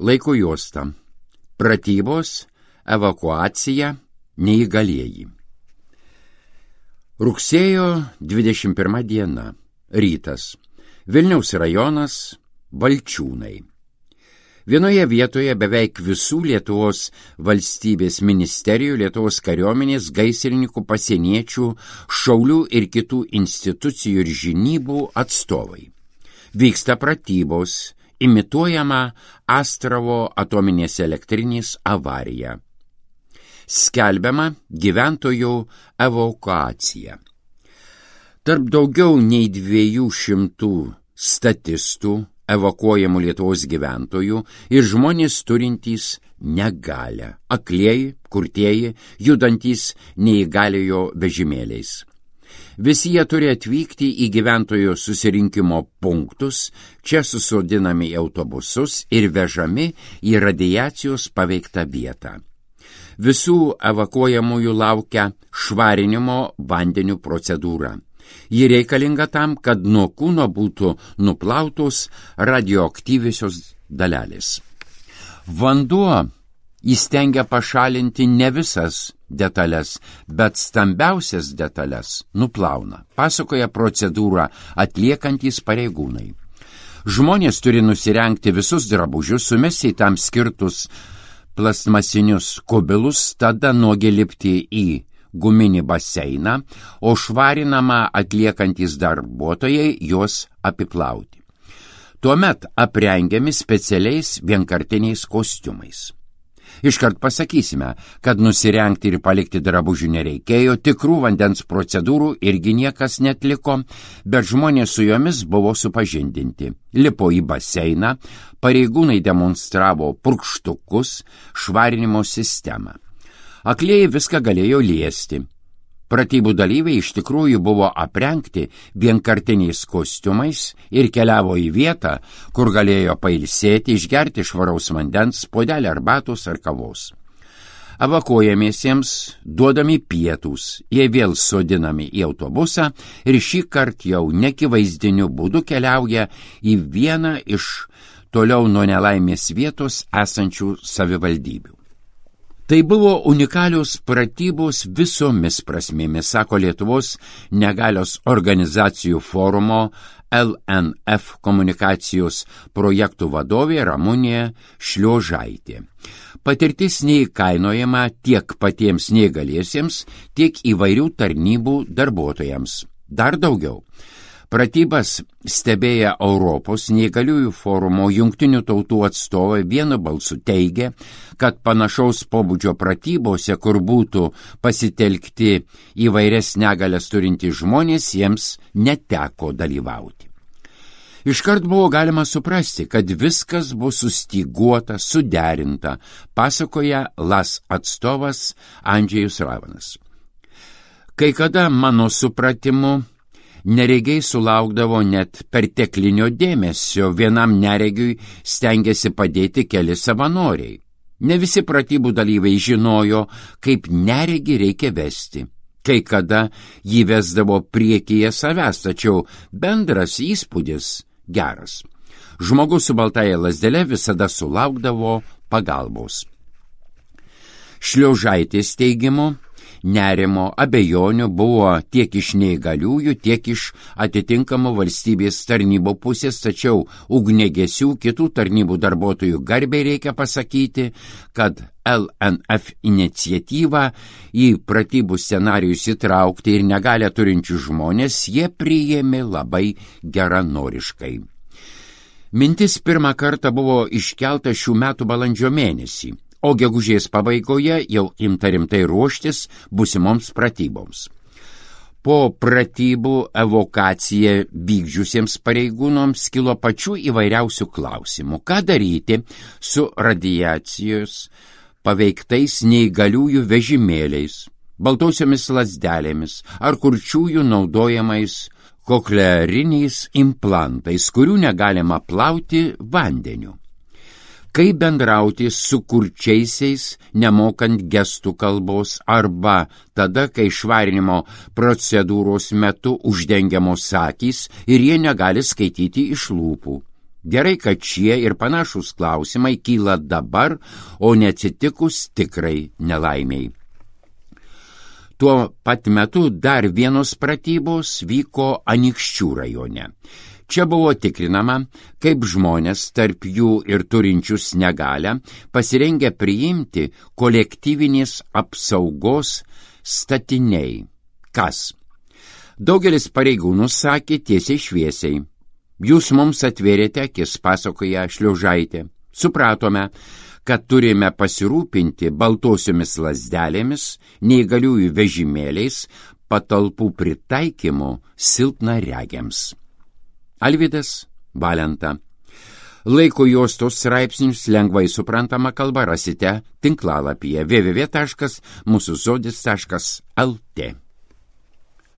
Laiko juosta. Pratybos, evakuacija, neįgalieji. Rugsėjo 21 diena. Rytas. Vilniaus rajonas, Valčiūnai. Vienoje vietoje beveik visų Lietuvos valstybės ministerijų, Lietuvos kariuomenės, gaisrininkų, pasieniečių, šaulių ir kitų institucijų ir žinybų atstovai. Vyksta pratybos, imituojama Astravo atominės elektrinės avarija. Skelbiama gyventojų evakuacija. Tarp daugiau nei 200 statistų evakuojamų Lietuvos gyventojų ir žmonės turintys negalią, aklieji, kurtieji, judantys neįgaliojo vežimėliais. Visi jie turi atvykti į gyventojų susirinkimo punktus, čia susodinami į autobusus ir vežami į radiacijos paveiktą vietą. Visų evakuojamųjų laukia švarinimo vandeniu procedūra. Ji reikalinga tam, kad nuo kūno būtų nuplautos radioaktyviosios dalelės. Vanduo įstengia pašalinti ne visas detalės, bet stambiausias detalės nuplauna, pasakoja procedūrą atliekantys pareigūnai. Žmonės turi nusirengti visus drabužius, sumesti tam skirtus plastmasinius kubilus, tada nuogi lipti į guminį baseiną, o švarinamą atliekantys darbuotojai juos apiplauti. Tuomet aprengiami specialiais vienkartiniais kostiumais. Iškart pasakysime, kad nusirengti ir palikti drabužių nereikėjo, tikrų vandens procedūrų irgi niekas netliko, bet žmonės su jomis buvo supažindinti. Lipo į baseiną, pareigūnai demonstravo purkštukus, švarinimo sistemą. Aklieji viską galėjo liesti. Pratybų dalyviai iš tikrųjų buvo aprengti vienkartiniais kostiumais ir keliavo į vietą, kur galėjo pailsėti, išgerti švaraus vandens, puodelį arbatos ar kavos. Evakuojamiesiems duodami pietūs, jie vėl sodinami į autobusą ir šį kartą jau nekivaizdiniu būdu keliauja į vieną iš toliau nuo nelaimės vietos esančių savivaldybių. Tai buvo unikalios pratybos visomis prasmėmis, sako Lietuvos negalios organizacijų forumo LNF komunikacijos projektų vadovė Ramunė Šliožaitė. Patirtis neįkainojama tiek patiems neįgaliesiems, tiek įvairių tarnybų darbuotojams. Dar daugiau. Pratybas stebėję Europos neįgaliųjų forumo Jungtinių tautų atstovai vienu balsu teigia, kad panašaus pobūdžio pratybose, kur būtų pasitelkti įvairias negalias turintys žmonės, jiems neteko dalyvauti. Iškart buvo galima suprasti, kad viskas bus sustyguota, suderinta, pasakoja LAS atstovas Andžejus Ravanas. Kai kada mano supratimu, neregiai sulaukdavo net perteklinio dėmesio, vienam neregiui stengiasi padėti keli savanoriai. Ne visi pratybų dalyviai žinojo, kaip neregį reikia vesti. Kai kada jį vesdavo priekyje savęs, tačiau bendras įspūdis geras. Žmogus su baltaja lazdele visada sulaukdavo pagalbos. Šliožaitės teigimu, nerimo, abejonių buvo tiek iš neįgaliųjų, tiek iš atitinkamų valstybės tarnybų pusės, tačiau ugniagesių kitų tarnybų darbuotojų garbei reikia pasakyti, kad LNF iniciatyvą į pratybų scenarijus įtraukti ir negalią turinčių žmonės jie priėmė labai geranoriškai. Mintis pirmą kartą buvo iškelta šių metų balandžio mėnesį, o gegužės pabaigoje jau imta rimtai ruoštis busimoms pratyboms. Po pratybų evakuaciją vykdžiusiems pareigūnoms kilo pačių įvairiausių klausimų. Ką daryti su radiacijos paveiktais neįgaliųjų vežimėliais, baltausiomis lazdelėmis ar kurčiųjų naudojamais kokleariniais implantais, kurių negalima plauti vandeniu. Kaip bendrauti su kurčiaisiais, nemokant gestų kalbos, arba tada, kai švarinimo procedūros metu uždengiamos akys ir jie negali skaityti iš lūpų. Gerai, kad šie ir panašūs klausimai kyla dabar, o neatsitikus tikrai nelaimiai. Tuo pat metu dar vienos pratybos vyko Anykščių rajone. Čia buvo tikrinama, kaip žmonės, tarp jų ir turinčius negalią, pasirengę priimti kolektyvinės apsaugos statiniai. Kas? Daugelis pareigūnų sakė tiesiai šviesiai. Jūs mums atvėrėte akis, pasakoja Šliaužaitė. Supratome, kad turime pasirūpinti baltosiomis lazdelėmis, neįgaliųjų vežimėliais, patalpų pritaikymu silpnaregiams. Alvydas Valenta. Laiko juostos straipsnius lengvai suprantama kalba rasite tinklalapyje www.mūsuzodis.lt.